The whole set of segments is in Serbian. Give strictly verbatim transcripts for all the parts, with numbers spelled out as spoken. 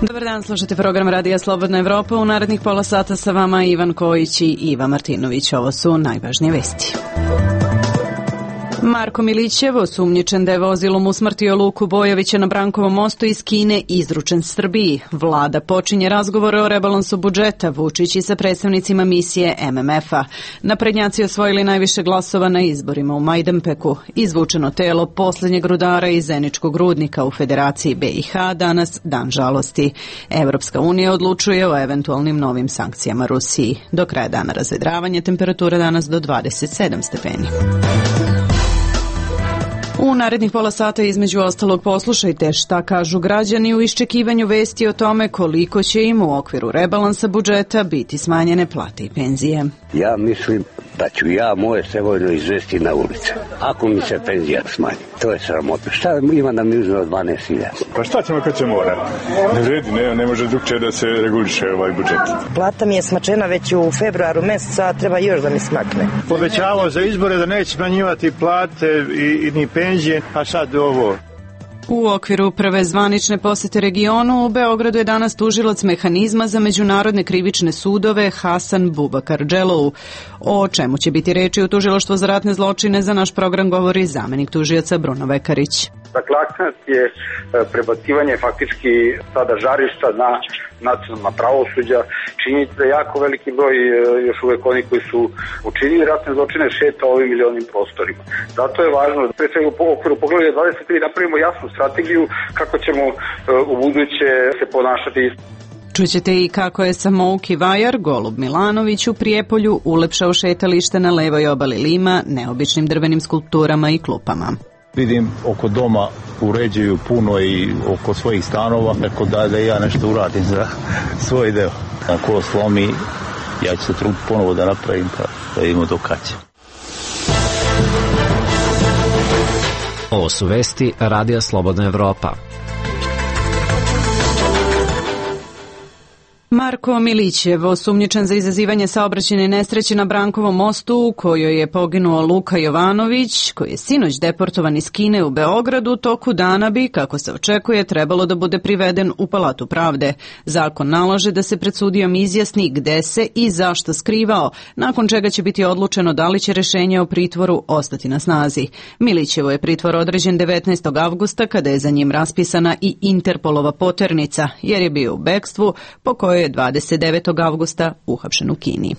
Dobar dan, slušate program Radija Slobodna Evropa. U narednih pola sata sa vama Ivan Kojić i Iva Martinović. Ovo su najvažnije vesti. Marko Milićev, osumnjičen da je vozilom usmrtio Luku Bojovića na Brankovom mostu iz Kine, izručen Srbiji. Vlada počinje razgovore o rebalansu budžeta, Vučić i sa predstavnicima misije M M F-a. Naprednjaci osvojili najviše glasova na izborima u Majdanpeku. Izvučeno telo poslednjeg rudara iz Zeničkog rudnika u Federaciji B i H, danas dan žalosti. Evropska unija odlučuje o eventualnim novim sankcijama Rusiji. Do kraja dana razvedravanje, temperatura danas do dvadeset sedam stepeni. U narednih pola sata između ostalog poslušajte šta kažu građani u iščekivanju vesti o tome koliko će im u okviru rebalansa budžeta biti smanjene plate i penzije. Ja mislim da ću ja moje Sevojno izvesti na ulice, ako mi se penzija smanji. To je sramotno. Šta ima da mi uzme od dvanaest hiljada? Pa šta ćemo kad se mora? Ne vredi, ne, ne može drugčije da se reguliše ovaj budžet. Plata mi je smačena već u februaru meseca, a treba još da mi smakne. Povećavao za izbore da neće smanjivati plate i, i ni penzije, a sad ovo. U okviru prve zvanične posete regionu u Beogradu je danas tužilac mehanizma za međunarodne krivične sudove Hasan Bubakar Dželou. O čemu će biti reči u tužilaštvu za ratne zločine za naš program govori zamenik tužioca Bruno Vekarić. Dakle, akcent je prebacivanje faktički sada žarišta na nacionalna pravosuđa. Činjenica da jako veliki broj još uvek oni koji su učinili ratne zločine šeta ovim ili onim prostorima. Zato je važno da pre svega u okviru poglavlja dvadeset tri napravimo jasnu strategiju kako ćemo u buduće se ponašati. Čućete i kako je samouki vajar Golub Milanović u Prijepolju ulepšao šetalište na levoj obali Lima neobičnim drvenim skulpturama i klupama. Vidim oko doma uređuju puno i oko svojih stanova, tako da da ja nešto uradim za svoj deo. Ako slomi, ja ću se truditi ponovo da napravim, pa da vidimo do kad će. Ovo su vesti Radija Slobodna Evropa. Marko Milićev, osumnjičen za izazivanje saobraćajne nesreće na Brankovom mostu u kojoj je poginuo Luka Jovanović, koji je sinoć deportovan iz Kine u Beogradu, toku dana bi, kako se očekuje, trebalo da bude priveden u Palatu pravde. Zakon nalaže da se pred sudijom izjasni gde se i zašto skrivao, nakon čega će biti odlučeno da li će rešenje o pritvoru ostati na snazi. Milićevo je pritvor određen devetnaestog avgusta kada je za njim raspisana i Interpolova poternica, jer je bio u bekstvu po kojoj je dvadeset devetog avgusta uhapšen u Kini.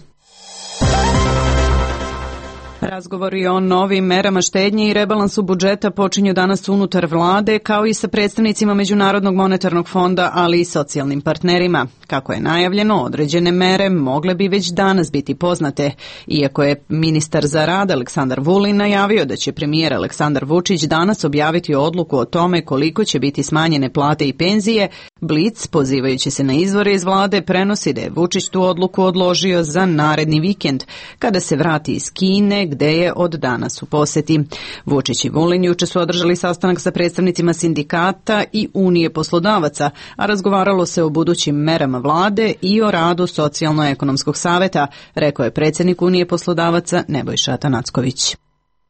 Razgovori o novim merama štednje i rebalansu budžeta počinju danas unutar vlade, kao i sa predstavnicima Međunarodnog monetarnog fonda, ali i socijalnim partnerima. Kako je najavljeno, određene mere mogle bi već danas biti poznate. Iako je ministar za rad Aleksandar Vulin najavio da će premijer Aleksandar Vučić danas objaviti odluku o tome koliko će biti smanjene plate i penzije, Blic, pozivajući se na izvore iz vlade, prenosi da je Vučić tu odluku odložio za naredni vikend, kada se vrati iz Kine, gde je od danas u poseti. Vučić i Vulin juče su održali sastanak sa predstavnicima sindikata i Unije poslodavaca, a razgovaralo se o budućim merama vlade i o radu Socijalno-ekonomskog saveta, rekao je predsjednik Unije poslodavaca Nebojša Atanacković.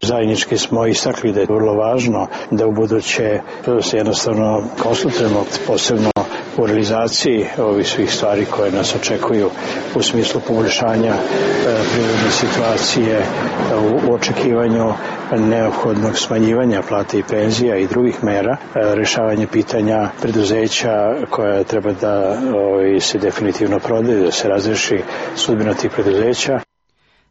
Zajednički smo istakli da je vrlo važno da u buduće se jednostavno konsultujemo, posebno u realizaciji ovih svih stvari koje nas očekuju u smislu poboljšanja e, privredne situacije, u, u očekivanju neophodnog smanjivanja plate i penzija i drugih mera, e, rešavanje pitanja preduzeća koja treba da o, se definitivno prodaju, da se razreši sudbina tih preduzeća.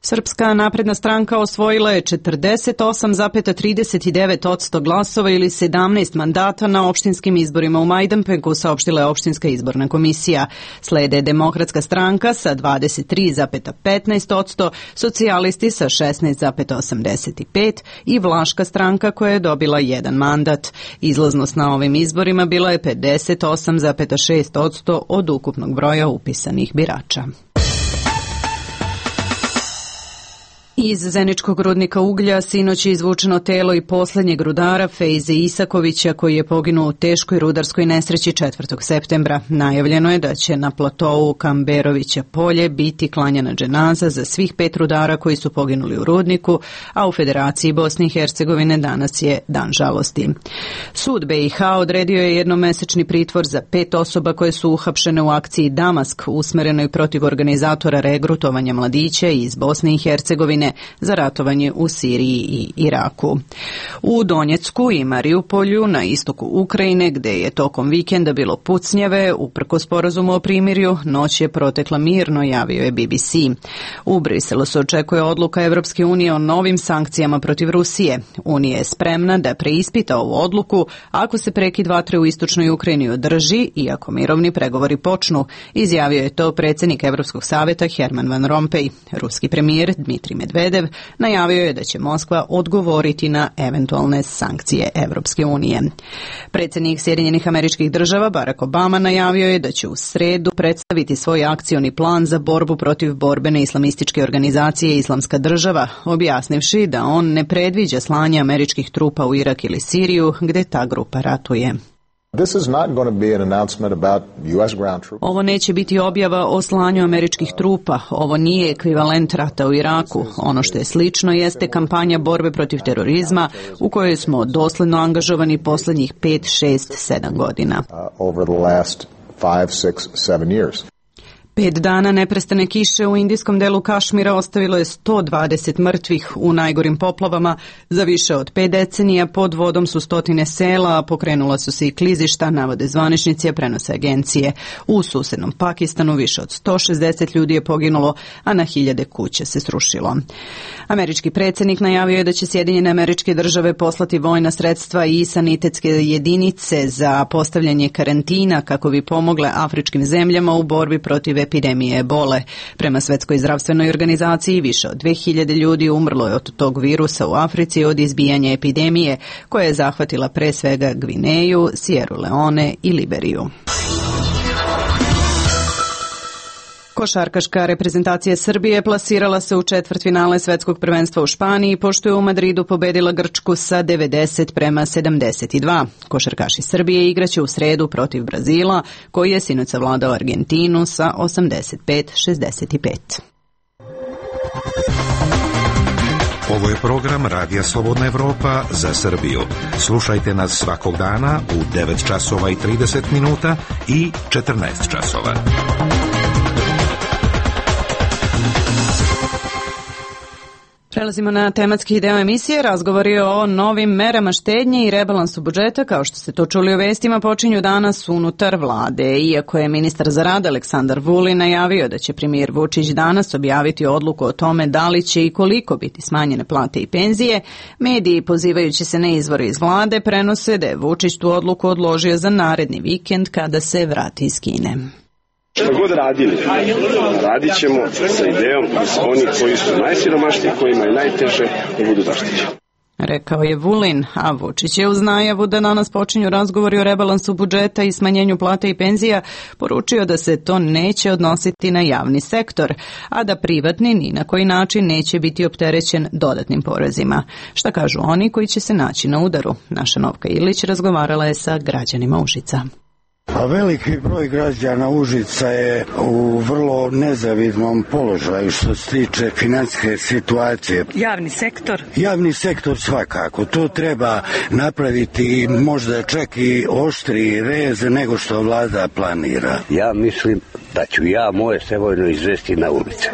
Srpska napredna stranka osvojila je četrdeset osam zarez trideset devet posto glasova ili sedamnaest mandata na opštinskim izborima u Majdanpeku, saopštila je opštinska izborna komisija. Slede Demokratska stranka sa dvadeset tri zarez petnaest posto, socijalisti sa šesnaest zarez osamdeset pet i Vlaška stranka koja je dobila jedan mandat. Izlaznost na ovim izborima bila je pedeset osam zarez šest posto od ukupnog broja upisanih birača. Iz Zeničkog rudnika uglja sinoć je izvučeno telo i posljednjeg rudara Fejze Isakovića koji je poginuo u teškoj rudarskoj nesreći četvrtog septembra. Najavljeno je da će na platovu Kamberovića polje biti klanjana dženaza za svih pet rudara koji su poginuli u rudniku, a u Federaciji Bosne i Hercegovine danas je dan žalosti. Sud be i ha odredio je jednomesečni pritvor za pet osoba koje su uhapšene u akciji Damask usmerenoj protiv organizatora regrutovanja mladića iz Bosne i Hercegovine za ratovanje u Siriji i Iraku. U Donjecku i Mariupolju na istoku Ukrajine, gde je tokom vikenda bilo pucnjave, uprkos sporazumu o primirju, noć je protekla mirno, javio je be be ce. U Briselu se očekuje odluka Evropske unije o novim sankcijama protiv Rusije. Unija je spremna da preispita ovu odluku ako se prekid vatre u istočnoj Ukrajini održi i ako mirovni pregovori počnu, izjavio je to predsjednik Evropskog savjeta Herman Van Rompuy. Ruski premijer Dmitrij Medvedev najavio je da će Moskva odgovoriti na eventualne sankcije Evropske unije. Predsjednik Sjedinjenih Američkih Država Barack Obama najavio je da će u sredu predstaviti svoj akcioni plan za borbu protiv borbene islamističke organizacije Islamska država, objasnivši da on ne predviđa slanje američkih trupa u Irak ili Siriju, gdje ta grupa ratuje. Ovo neće biti objava o slanju američkih trupa, ovo nije ekvivalent rata u Iraku. Ono što je slično jeste kampanja borbe protiv terorizma u kojoj smo dosledno angažovani posljednjih pet, šest, sedam godina. Pet dana neprestane kiše u indijskom delu Kašmira ostavilo je sto dvadeset mrtvih u najgorim poplavama. Za više od pet decenija pod vodom su stotine sela, a pokrenula su se i klizišta, navode zvaničnici, a prenose agencije. U susednom Pakistanu više od sto šezdeset ljudi je poginulo, a na hiljade kuća se srušilo. Američki predsjednik najavio je da će Sjedinjene Američke Države poslati vojna sredstva i sanitetske jedinice za postavljanje karantina kako bi pomogle afričkim zemljama u borbi protiv epidemije ebole. Prema Svetskoj zdravstvenoj organizaciji više od dve hiljade ljudi umrlo je od tog virusa u Africi od izbijanja epidemije koja je zahvatila pre svega Gvineju, Sierra Leone i Liberiju. Košarkaška reprezentacija Srbije plasirala se u četvrtfinale Svetskog prvenstva u Španiji pošto je u Madridu pobedila Grčku sa devedeset prema sedamdeset dva. Košarkaši Srbije igraće u sredu protiv Brazila koji je sinoć savladao Argentinu sa osamdeset pet šezdeset pet. Ovo je program Radija Slobodna Evropa za Srbiju. Slušajte nas svakog dana u devet časova i trideset minuta i četrnaest časova. Prelazimo na tematski deo emisije. Razgovor je o novim merama štednje i rebalansu budžeta. Kao što ste to čuli u vestima, počinju danas unutar vlade. Iako je ministar za rad Aleksandar Vulin najavio da će premijer Vučić danas objaviti odluku o tome da li će i koliko biti smanjene plate i penzije, mediji, pozivajući se na izvore iz vlade, prenose da je Vučić tu odluku odložio za naredni vikend kada se vrati iz Kine. Što god radili, radit ćemo sa idejom da su oni koji su najsiromašniji, kojima je najteže, da budu zaštićeni. Rekao je Vulin, a Vučić je uz najavu da danas počinju razgovori o rebalansu budžeta i smanjenju plata i penzija poručio da se to neće odnositi na javni sektor, a da privatni ni na koji način neće biti opterećen dodatnim porezima. Šta kažu oni koji će se naći na udaru? Naša Novka Ilić razgovarala je sa građanima Užica. A veliki broj građana Užica je u vrlo nezavidnom položaju što se tiče financijske situacije. Javni sektor? Javni sektor svakako. To treba napraviti možda čak i oštriji rez nego što vlada planira. Ja mislim da ću ja moje sevojno izvesti na ulice.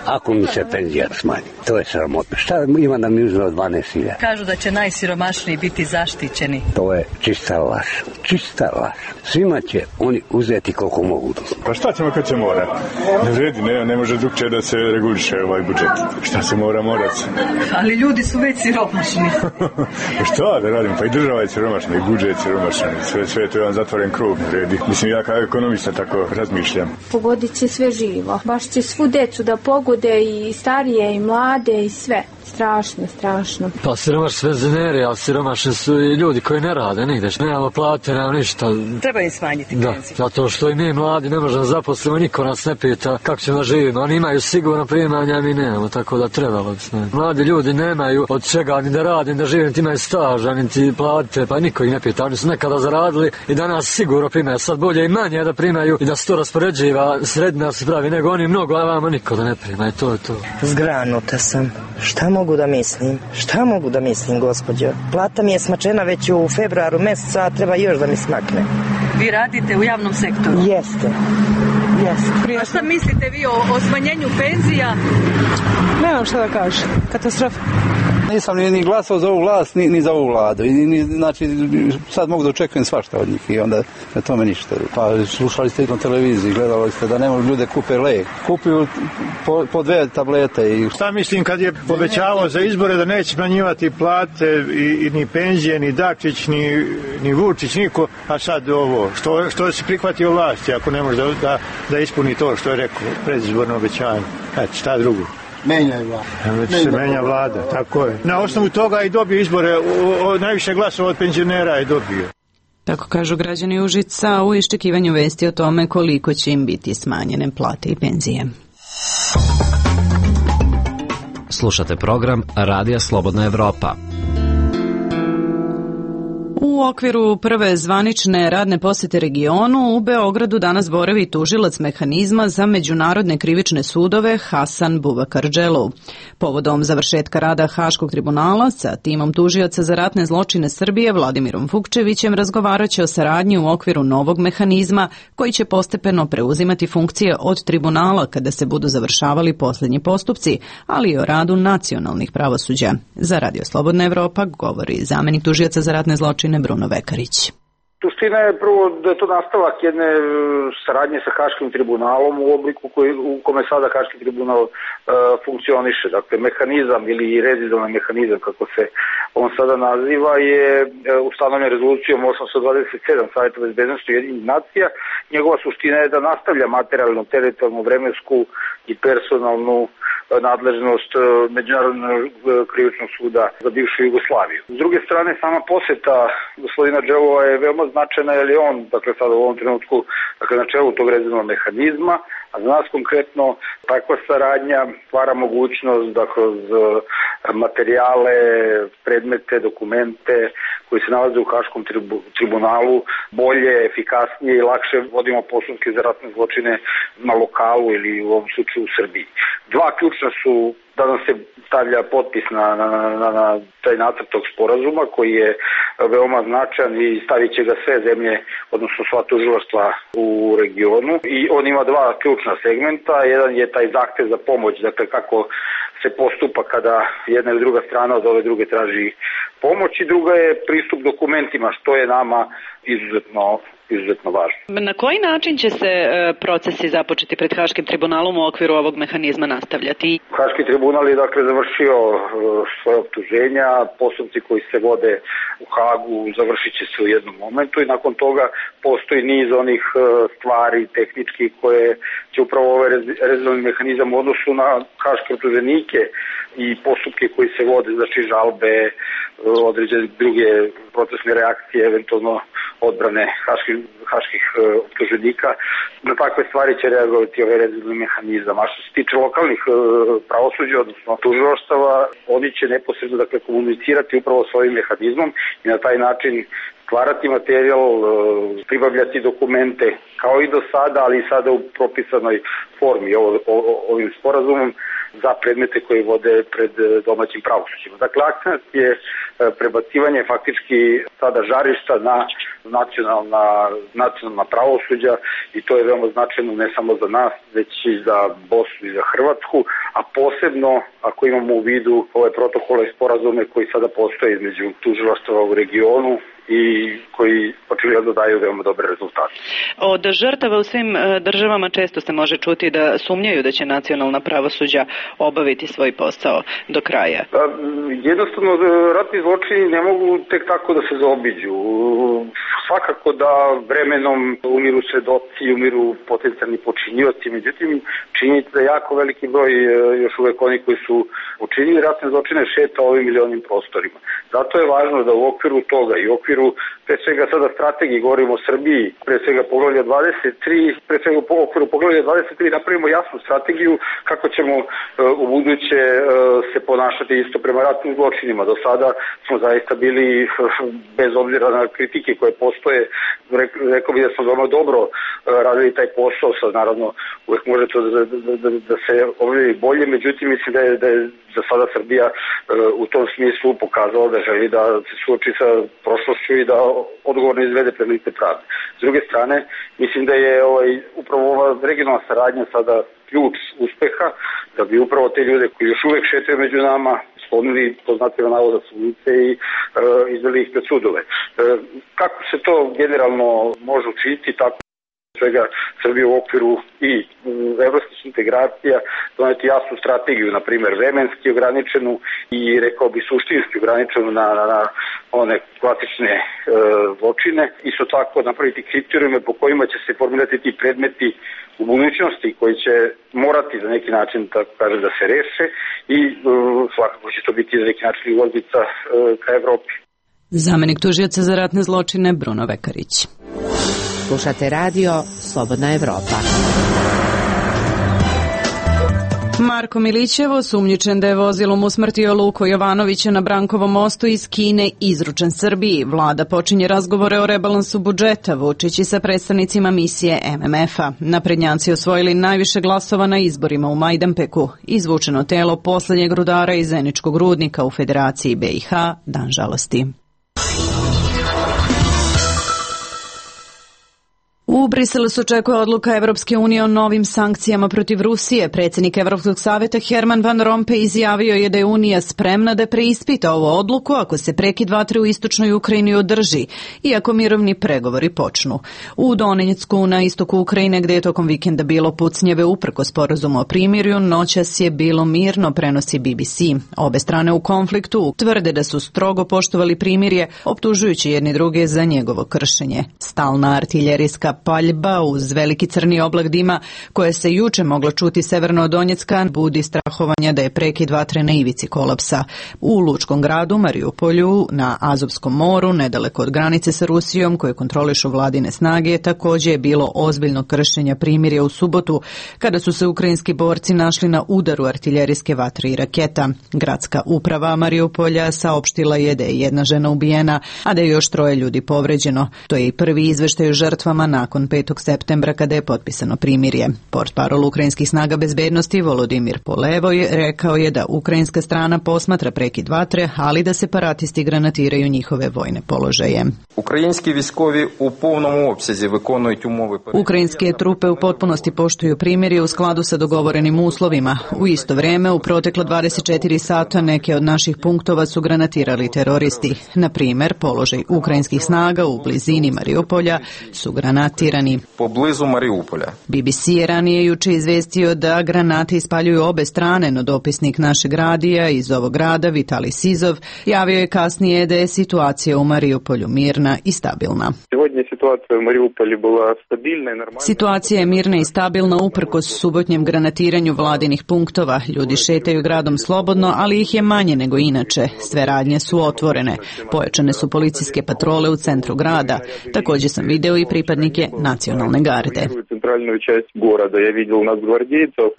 Ako mi se penzija smanji. To je sramotno. Šta ima da mi uzme od dvanaest hiljada? Kažu da će najsiromašniji biti zaštićeni. To je čista laž. Čista laž. Svima će oni uzeti koliko mogu. Pa šta ćemo kad će mora? Ne vredi, ne, ne može drugčije da se reguliše ovaj budžet. Šta se mora, mora se. Ali ljudi su već siromašni. Šta da radim? Pa i država je siromašna, i budžet je siromašan. Sve, sve to je jedan zatvoren krug. Vredi. Mislim, ja kao ekonomista tako razmišljam. Pogodit će sve živo. Baš će svu decu da pogode, i starije i mlade i sve. Strašno, strašno. Pa siromašni penzioneri, ali siromašni su i ljudi koji ne rade nigde. Nemamo plate, nemamo ništa. Treba im smanjiti da, penziju. Zato što i mi mladi ne možemo zaposlimo, niko nas ne pita kako ćemo da živimo. Oni imaju sigurno primanja, a mi nemamo, tako da trebalo bi smanjiti. Mladi ljudi nemaju od čega ni da radi, ni da žive, niti imaju staža, niti plate, pa niko ih ne pita. Oni su nekada zaradili i danas sigurno primaju. Sad bolje i manje da primaju i da se to raspoređiva, sredina se pravi, nego oni mnogo, a vama niko da ne prima i to je to. Zgranuta sam. Šta mogu da mislim? Šta mogu da mislim, gospođo? Plata mi je smačena već u februaru meseca, a treba još da mi smakne. Vi radite u javnom sektoru? Jeste. Jeste. A šta mislite vi o, o smanjenju penzija? Nemam šta da kažem. Katastrofa. Nisam ni, ni glasao za ovu vlast, ni, ni za ovu vladu. I, ni, znači, sad mogu da očekujem svašta od njih i onda na tome ništa. Pa slušali ste na televiziji, gledali ste da ne mogu ljude kupe lek. Kupuju po, po dve tablete. I... Šta mislim kad je povećavao za izbore da neće smanjivati plate i, i ni penzije, ni Dačić, ni, ni Vučić, niko, a sad ovo. Što, što se prihvatio vlasti ako ne može da, da, da ispuni to što je rekao predizborno obećanje. Eto, šta drugo? Menja je vlada. Menja se menja vlada, tako je. Na osnovu toga i dobio izbore, o, o, najviše glasova od penzionera je dobio. Tako kažu građani Užica u iščekivanju vesti o tome koliko će im biti smanjene plate i penzije. Slušate program Radija Slobodna Evropa. U okviru prve zvanične radne posete regionu u Beogradu danas boravi tužilac mehanizma za međunarodne krivične sudove Hasan Bubakardželu. Povodom završetka rada Haškog tribunala sa timom tužioca za ratne zločine Srbije Vladimirom Vukčevićem razgovaraće o saradnji u okviru novog mehanizma koji će postepeno preuzimati funkcije od tribunala kada se budu završavali posljednji postupci, ali i o radu nacionalnih pravosuđa. Za Radio Slobodna Evropa govori zamenik tužioca za ratne zločine Bruno Vekarić. Suština je prvo da je to nastavak jedne saradnje sa Haškim tribunalom u obliku koji, u kome sada Haški tribunal e, funkcioniše. Dakle, mehanizam ili rezidovan mehanizam, kako se on sada naziva, je e, ustanovljen rezolucijom osamsto dvadeset sedam Saveta bezbednosti Ujedinjenih nacija. Njegova suština je da nastavlja materijalnu, teritorijalnu, vremensku i personalnu nadležnost Međunarodnog krivičnog suda za bivšu Jugoslaviju. S druge strane, sama poseta gospodina Dželova je veoma značajna, jer je on, dakle sada u ovom trenutku, dakle na čelu tog rezervnog mehanizma, a za nas konkretno takva saradnja stvara mogućnost da kroz materijale, predmete, dokumente koji se nalaze u Haškom tribunalu bolje, efikasnije i lakše vodimo postupke za ratne zločine na lokalu ili u ovom slučaju u Srbiji. Dva ključna su da nam se stavlja potpis na, na, na, na taj nacrt tog sporazuma koji je veoma značajan i stavit će ga sve zemlje, odnosno sva tužilaštva u regionu. I on ima dva ključna segmenta. Jedan je taj zahtev za pomoć, dakle kako se postupa kada jedna ili druga strana od ove druge traži pomoć, i druga je pristup dokumentima, što je nama izuzetno izuzetno važno. Na koji način će se procesi započeti pred Haškim tribunalom u okviru ovog mehanizma nastavljati? Haški tribunal je dakle završio svoje optuženja, postupci koji se vode u Hagu završit će se u jednom momentu i nakon toga postoji niz onih stvari tehničkih koje će upravo ovaj rezervni mehanizam u odnosu na haške optuženike i postupke koji se vode, znači žalbe, određene druge procesne reakcije, eventualno odbrane haških, haških optuženika. Na takve stvari će reagovati ovaj rezervni mehanizam. A što se tiče lokalnih pravosuđa, odnosno tužilaštava, oni će neposredno dakle, komunicirati upravo s ovim mehanizmom i na taj način stvarati materijal, pribavljati dokumente kao i do sada, ali i sada u propisanoj formi o, o, ovim sporazumom za predmete koje vode pred domaćim pravosuđima. Dakle, akcent je prebacivanje faktički sada žarišta na nacionalna, nacionalna pravosuđa i to je veoma značajno ne samo za nas, već i za Bosnu i za Hrvatsku, a posebno ako imamo u vidu ove protokole i sporazume koji sada postoje između tužilaštava u regionu i koji očigledno daju veoma dobre rezultate. Od žrtava u svim državama često se može čuti da sumnjaju da će nacionalna pravosuđa obaviti svoj posao do kraja. Jednostavno, ratni zločini ne mogu tek tako da se zaobiđu. Svakako da vremenom umiru svedoci, umiru potencijalni počinioci, međutim činjenica da jako veliki broj još uvek oni koji su učinili ratne zločine šeta ovim ili onim prostorima. Zato je važno da u okviru toga i u okviru pre svega sada strategiji, govorimo o Srbiji, pre svega poglavlja dvadeset tri, pre svega u okviru poglavlja dvadeset tri napravimo jasnu strategiju kako ćemo u buduće se ponašati isto prema ratnim zločinima. Do sada smo zaista bili, bez obzira na kritike koje postoje, rekao bih da smo veoma dobro radili taj posao, sad naravno uvek može to da, da, da, da se objavi bolje, međutim mislim da je, da je za sada Srbija u tom smislu pokazala da želi da se suoči sa prošlošću i da odgovorno izvede pred lice pravde. S druge strane, mislim da je ovaj, upravo ova regionalna saradnja sada ključ uspeha, da bi upravo te ljude koji još uvek šetaju među nama sklonili, to znate na navoda su ulice i e, izveli ih pred sudove. E, kako se to generalno može učiniti, tako svega Srbije u okviru i evropskih integracija doneti jasnu strategiju, na primjer vremenski ograničenu i rekao bi suštinski ograničenu na, na, na one klasične e, zločine. Isto tako napraviti kriterijume po kojima će se formirati ti predmeti u budućnosti koji će morati za neki način, tako kaže, da se reše i e, svakako će to biti za neki način ulaznica e, ka Evropi. Zamenik tužioca za ratne zločine Bruno Vekarić. Slušate radio Slobodna Evropa. Marko Milićev, osumnjičen da je vozilom usmrtio Luko Jovanovića na Brankovom mostu iz Kine, izručen Srbiji. Vlada počinje razgovore o rebalansu budžeta, Vučić i sa predstavnicima misije M M F-a. Naprednjaci osvojili najviše glasova na izborima u Majdanpeku. Izvučeno telo poslednjeg rudara iz Zeničkog rudnika u Federaciji B i H, dan žalosti. U Briselu se očekuje odluka Evropske unije o novim sankcijama protiv Rusije. Predsjednik Evropskog savjeta Herman Van Rompuy izjavio je da je Unija spremna da preispita ovu odluku ako se prekid vatre u istočnoj Ukrajini održi i ako mirovni pregovori počnu. U Donjecku na istoku Ukrajine, gdje je tokom vikenda bilo pucnjeve uprkos sporazumu o primirju, noćas je bilo mirno, prenosi B B C. Obe strane u konfliktu tvrde da su strogo poštovali primirje, optužujući jedni druge za njegovo kršenje. Stalna artiljerijska paljba uz veliki crni oblak dima koje se juče moglo čuti severno od Donjecka budi strahovanja da je prekid vatre na ivici kolapsa. U lučkom gradu Mariupolju na Azovskom moru, nedaleko od granice sa Rusijom koje kontrolišu vladine snage, također je bilo ozbiljno kršenja primirja u subotu kada su se ukrajinski borci našli na udaru artiljerijske vatre i raketa. Gradska uprava Mariupolja saopštila je da je jedna žena ubijena, a da je još troje ljudi povređeno. To je i prvi izveštaj o žrtvama nakon petog septembra kada je potpisano primirje. Portparol ukrajinskih snaga bezbednosti Volodimir Polevoj rekao je da ukrajinska strana posmatra prekid vatre, ali da separatisti granatiraju njihove vojne položaje. Ukrajinski viskovi u повному обсязі виконують умови. Ukrajinske trupe u potpunosti poštuju primirje u skladu sa dogovorenim uslovima. U isto vrijeme, u proteklo dvadeset četiri sata neke od naših punktova su granatirali teroristi. Na primjer, položaj ukrajinskih snaga u blizini Mariupolja su granatirani. Poblizu Mariupolja. B B C je ranije juče izvestio da granate ispaljuju obe strane, no dopisnik našeg radija iz ovog grada, Vitali Sizov, javio je kasnije da je situacija u Mariupolju mirna i stabilna. Situacija je mirna i stabilna uprkos subotnjem granatiranju vladinih punktova. Ljudi šetaju gradom slobodno, ali ih je manje nego inače. Sve radnje su otvorene. Pojačane su policijske patrole u centru grada. Također sam video i pripadnike nacionalne garde.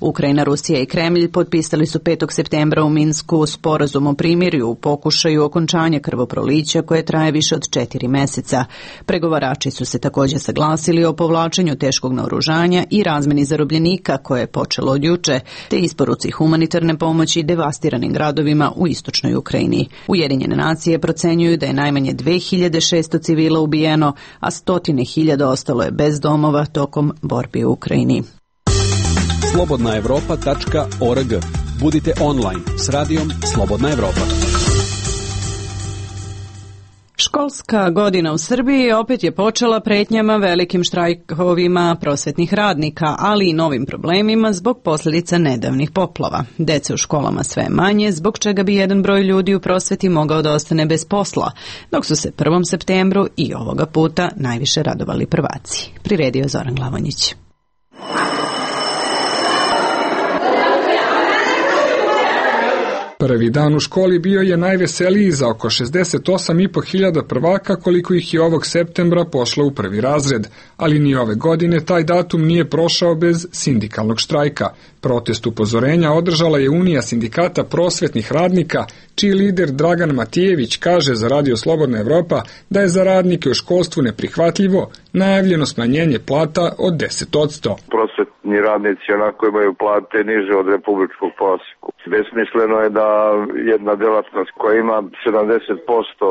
Ukrajina, Rusija i Kremlj potpisali su petog septembra u Minsku sporazum o primirju u pokušaju okončanja krvoprolića koje traje više od četiri meseca. Pregovarači su se također saglasili o povlačenju teškog naoružanja i razmeni zarobljenika koje je počelo od juče, te isporuci humanitarne pomoći devastiranim gradovima u istočnoj Ukrajini. Ujedinjene nacije procenjuju da je najmanje dve hiljade šesto civila ubijeno, a stotine hiljada ostalo je bez domova tokom borbi u Ukrajini. slobodna evropa tačka org. Budite online s radijom Slobodna Evropa. Školska godina u Srbiji opet je počela pretnjama velikim štrajkovima prosvetnih radnika, ali i novim problemima zbog posljedica nedavnih poplava. Dece u školama sve manje, zbog čega bi jedan broj ljudi u prosveti mogao da ostane bez posla, dok su se prvom septembru i ovoga puta najviše radovali prvaci. Priredio Zoran Glavonjić. Prvi dan u školi bio je najveseliji za oko šezdeset osam i po hiljada prvaka koliko ih je ovog septembra pošlo u prvi razred, ali ni ove godine taj datum nije prošao bez sindikalnog štrajka. Protest upozorenja održala je Unija sindikata prosvetnih radnika, čiji lider Dragan Matijević kaže za Radio Slobodna Evropa da je za radnike u školstvu neprihvatljivo najavljeno smanjenje plata od deset posto. Prosvetni radnici onako imaju plate niže od republičkog prosjeku. Besmisleno je da jedna delatnost koja ima sedamdeset posto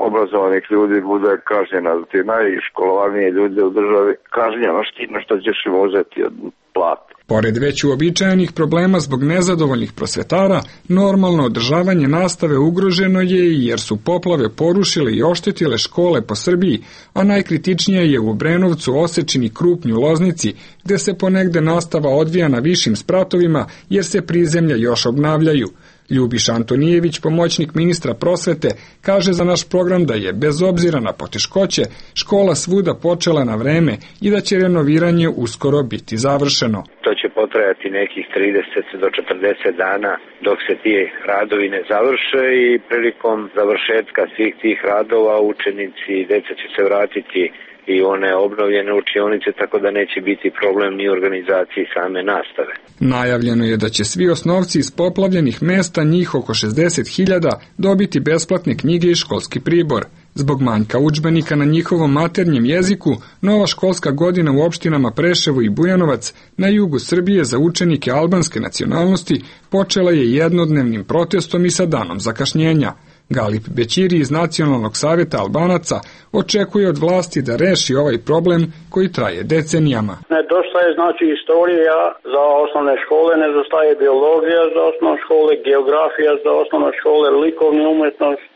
obrazovanih ljudi bude kažnjena. Ti najškolovanije ljude u državi kažnjavaš time što ćeš im uzeti od plate. Pored već uobičajenih problema zbog nezadovoljnih prosvetara, normalno održavanje nastave ugroženo je i jer su poplave porušile i oštetile škole po Srbiji, a najkritičnije je u Obrenovcu, Osečini, Krupnju, Loznici, gde se ponegde nastava odvija na višim spratovima jer se prizemlja još obnavljaju. Ljubiša Antonijević, pomoćnik ministra prosvete, kaže za naš program da je, bez obzira na poteškoće, škola svuda počela na vreme i da će renoviranje uskoro biti završeno. To će potrajati nekih trideset do četrdeset dana dok se ti radovi ne završe i prilikom završetka svih tih radova učenici i deca će se vratiti i one obnovljene učionice, tako da neće biti problem ni organizaciji same nastave. Najavljeno je da će svi osnovci iz poplavljenih mesta, njih oko šezdeset hiljada, dobiti besplatne knjige i školski pribor. Zbog manjka udžbenika na njihovom maternjem jeziku, nova školska godina u opštinama Preševo i Bujanovac na jugu Srbije za učenike albanske nacionalnosti počela je jednodnevnim protestom i sa danom zakašnjenja. Galip Bećiri iz Nacionalnog saveta Albanaca očekuje od vlasti da reši ovaj problem koji traje decenijama. Nedostaje znači istorija za osnovne škole, nedostaje biologija za osnovne škole, geografija za osnovne škole, likovna umetnost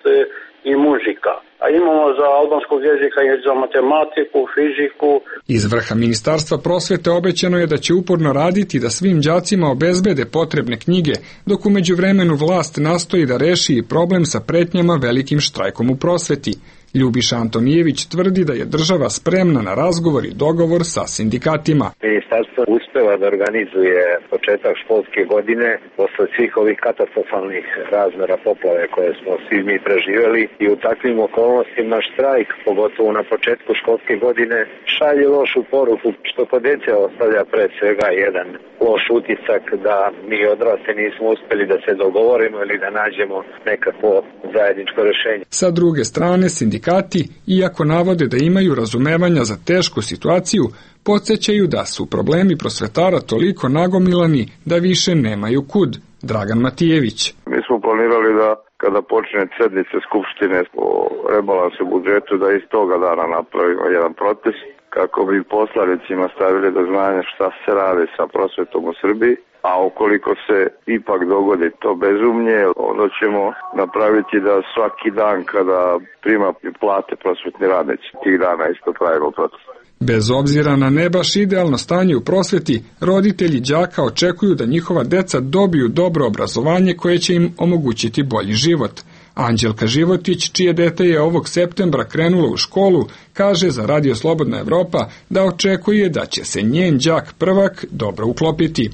i muzika. A imamo za albanskog jezika i za matematiku, fiziku. Iz vrha Ministarstva prosvete obećano je da će uporno raditi da svim đacima obezbede potrebne knjige, dok u međuvremenu vlast nastoji da reši i problem sa pretnjama velikim štrajkom u prosveti. Ljubiša Antonijević tvrdi da je država spremna na razgovor i dogovor sa sindikatima. Ministarstvo uspeva da organizuje početak školske godine posle svih ovih katastrofalnih razmera poplave koje smo svi mi preživjeli i u takvim okolnostima štrajk, pogotovo na početku školske godine, šalje lošu poruku što kod dece ostavlja pre svega jedan loš utisak da mi odrasli nismo uspeli da se dogovorimo ili da nađemo nekakvo zajedničko rešenje. Sa druge strane, sindikati, iako navode da imaju razumevanja za tešku situaciju, podsjećaju da su problemi prosvetara toliko nagomilani da više nemaju kud. Dragan Matijević. Mi smo planirali da kada počne sednice Skupštine o rebalansu budžetu da iz toga dana napravimo jedan protest kako bi poslanicima stavili do znanja šta se radi sa prosvetom u Srbiji, a ukoliko se ipak dogodi to bezumlje, onda ćemo napraviti da svaki dan kada prima plate prosvetni radnici, tih dana isto pravimo protest. Bez obzira na ne baš idealno stanje u prosveti, roditelji đaka očekuju da njihova deca dobiju dobro obrazovanje koje će im omogućiti bolji život. Anđelka Životić, čije dete je ovog septembra krenulo u školu, kaže za Radio Slobodna Evropa da očekuje da će se njen đak prvak dobro uklopiti.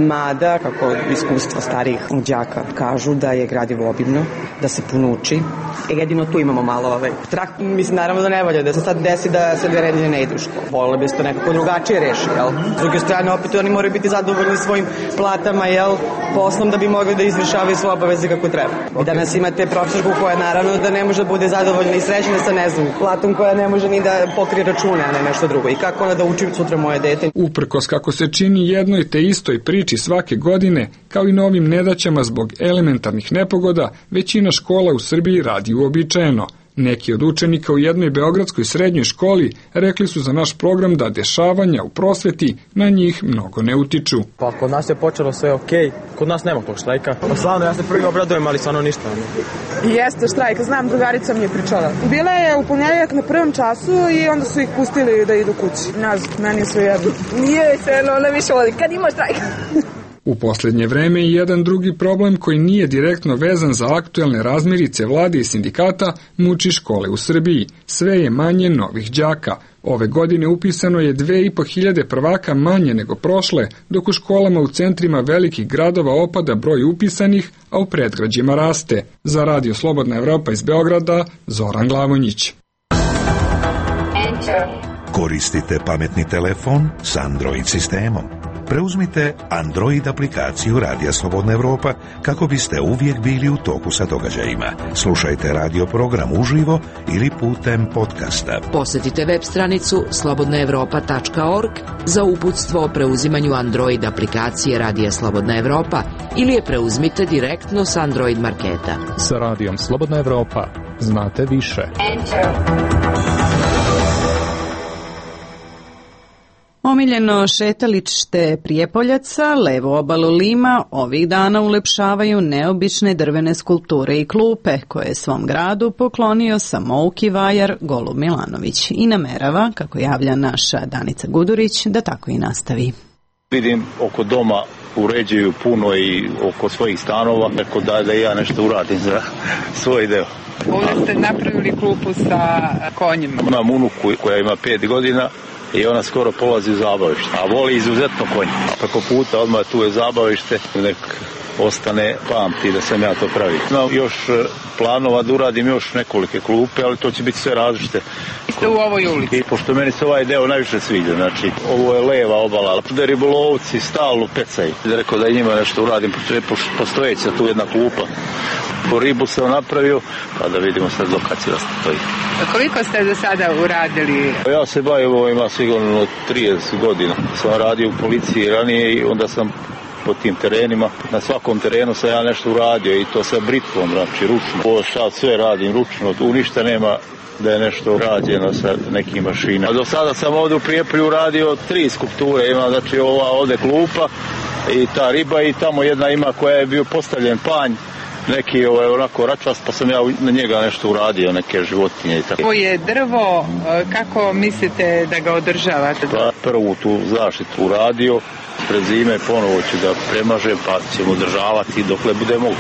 Mada, kako iskustva starijih đaka kažu, da je gradivo obimno, da se puno uči. Jedino tu imamo malo ovaj trak. Mislim, naravno da ne valja da se sad desi da se dve nedelje ne ide u školu. Volili bi se to nekako drugačije reši, jel? S druge strane, opet oni moraju biti zadovoljni svojim platama, jel, poslom da bi mogli da izvršavaju svoje obaveze kako treba. I danas imate profesorku koja naravno da ne može da bude zadovoljna i srećna sa, ne znam, platom koja ne može ni da pokrije račune, a ne nešto drugo. I kako ona da uči sutra moje dete? Uprkos kako se čini jednoj te istoj priči svake godine, kao i novim nedaćama zbog elementarnih nepogoda, većina škola u Srbiji radi uobičajeno. Neki od učenika u jednoj beogradskoj srednjoj školi rekli su za naš program da dešavanja u prosveti na njih mnogo ne utiču. Pa kod nas je počelo sve okej, kod nas nema tog štrajka. Pa slavno, ja se prvi obradujem, ali stvarno ništa. Jeste štrajk, znam, drugarica mi je pričala. Bila je u ponedjeljak na prvom času i onda su ih pustili da idu kući. Nazad, meni je sve jedno. Nije se jedno, ona više voli, kad ima štrajk. U posljednje vreme i jedan drugi problem koji nije direktno vezan za aktuelne razmirice vlade i sindikata muči škole u Srbiji. Sve je manje novih đaka. Ove godine upisano je dve i po hiljade prvaka manje nego prošle, dok u školama u centrima velikih gradova opada broj upisanih, a u predgrađima raste. Za Radio Slobodna Evropa iz Beograda, Zoran Glavonjić. Koristite pametni telefon s Android sistemom. Preuzmite Android aplikaciju Radija Slobodna Evropa kako biste uvijek bili u toku sa događajima. Slušajte radio program uživo ili putem podcasta. Posjetite web stranicu slobodna evropa tačka org za uputstvo o preuzimanju Android aplikacije Radija Slobodna Evropa ili je preuzmite direktno s Android marketa. Sa Radijom Slobodna Evropa znate više. Omiljeno šetalište Prijepoljaca, levu obalu Lima, ovih dana ulepšavaju neobične drvene skulpture i klupe, koje je svom gradu poklonio samouki vajar Golub Milanović i namerava, kako javlja naša Danica Gudurić, da tako i nastavi. Vidim oko doma uređuju puno i oko svojih stanova, tako da, da ja nešto uradim za svoj deo. Ovdje ste napravili klupu sa konjima. Imam unuku koja ima pet godina i ona skoro polazi u zabavište, a voli izuzetno konj. A preko puta odmah tu je zabavište, nek ostane pamti da sam ja to pravio. Imam još planova da uradim još nekolike klupe, ali to će biti sve različite. Ste u ovoj ulici? I pošto meni se ovaj deo najviše sviđa, znači ovo je leva obala, da ribolovci stalno pecaju. Da rekao da njima nešto uradim, postojeća tu jedna klupa. Po ribu sam napravio, pa da vidimo sad do kad će da stoji. Koliko ste do sada uradili? Ja se bavim ovo, ima sigurno trideset godina. Sam radio u policiji ranije i onda sam po tim terenima. Na svakom terenu sam ja nešto uradio i to sa britvom, znači ručno. Ovo sad sve radim ručno, tu ništa nema da je nešto rađeno sa nekim mašinama. Do sada sam ovdje u Prijepolju radio tri skulpture, ima znači ova ovdje klupa i ta riba i tamo jedna ima koja je bio postavljen panj, neki ovaj, onako račvast, pa sam ja na njega nešto uradio, neke životinje i tako. Ovo je drvo, kako mislite da ga održavate? Pa prvu tu zaštitu uradio, pred zime ponovo ću da premažem, pa ćemo održavati dokle bude mogu.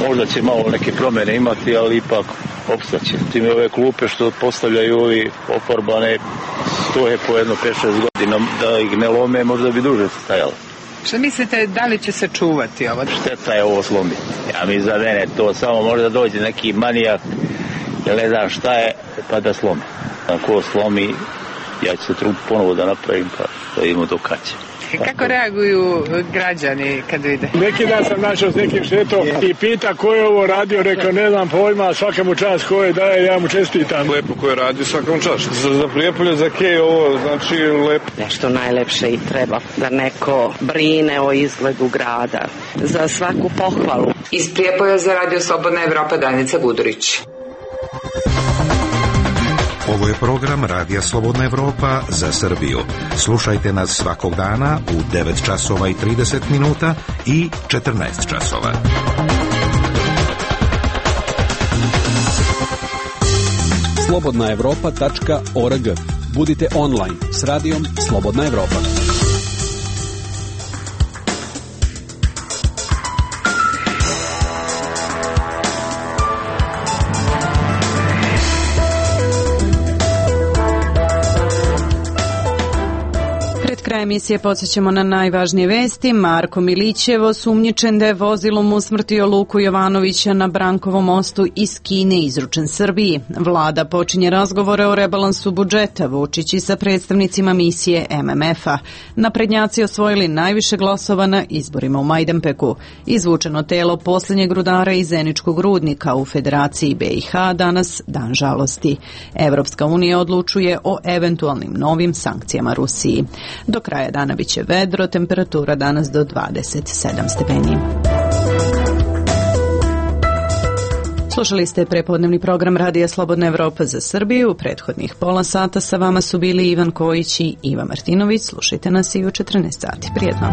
Možda će malo neke promjene imati, ali ipak opstaće. Tim ove klupe što postavljaju ovi ofarbane stoje po jedno pet šest godina, da ih ne lome, možda bi duže stajalo. Što mislite, da li će se čuvati ovo? Šteta je ovo slomi. Ja mi za mene to samo možda dođe neki manijak, jer ne znam šta je, pa da slomi. Ako slomi, ja ću se trud ponovo da napravim, pa da vidimo do kad će. Kako reaguju građani kad vide? Neki dan sam našao s nekim šetom i pita ko je ovo radio, rekao ne znam pojma, svaka mu čast ko je daje, ja mu čestitam. Lepo ko je radio, svaka mu čast. Za, za Prijepolje, za Kej ovo znači lepo. Nešto najlepše i treba, da neko brine o izgledu grada. Za svaku pohvalu. Iz Prijepolja za Radio Slobodna Evropa, Danica Gudurić. Ovo je program Radija Slobodna Evropa za Srbiju. Slušajte nas svakog dana u devet časova i trideset minuta i četrnaest časova. slobodna evropa tačka org. Budite online s radijom Slobodna Evropa. Emisije podsjećamo na najvažnije vesti. Marko Milićev osumnjičen da je vozilom usmrtio Luku Jovanovića na Brankovom mostu iz Kine izručen Srbiji. Vlada počinje razgovore o rebalansu budžeta, Vučić i sa predstavnicima misije M M F-a. Naprednjaci osvojili najviše glasova na izborima u Majdanpeku. Izvučeno telo posljednjeg rudara iz Zeničkog rudnika u Federaciji B i H danas dan žalosti. Evropska unija odlučuje o eventualnim novim sankcijama Rusiji. Do kraja dana biće vedro, temperatura danas do dvadeset sedam stepeni. Slušali ste prepodnevni program Radija Slobodna Evropa za Srbiju. U prethodnih pola sata sa vama su bili Ivan Kojić i Iva Martinović. Slušajte nas i u četrnaest sati. Prijetno.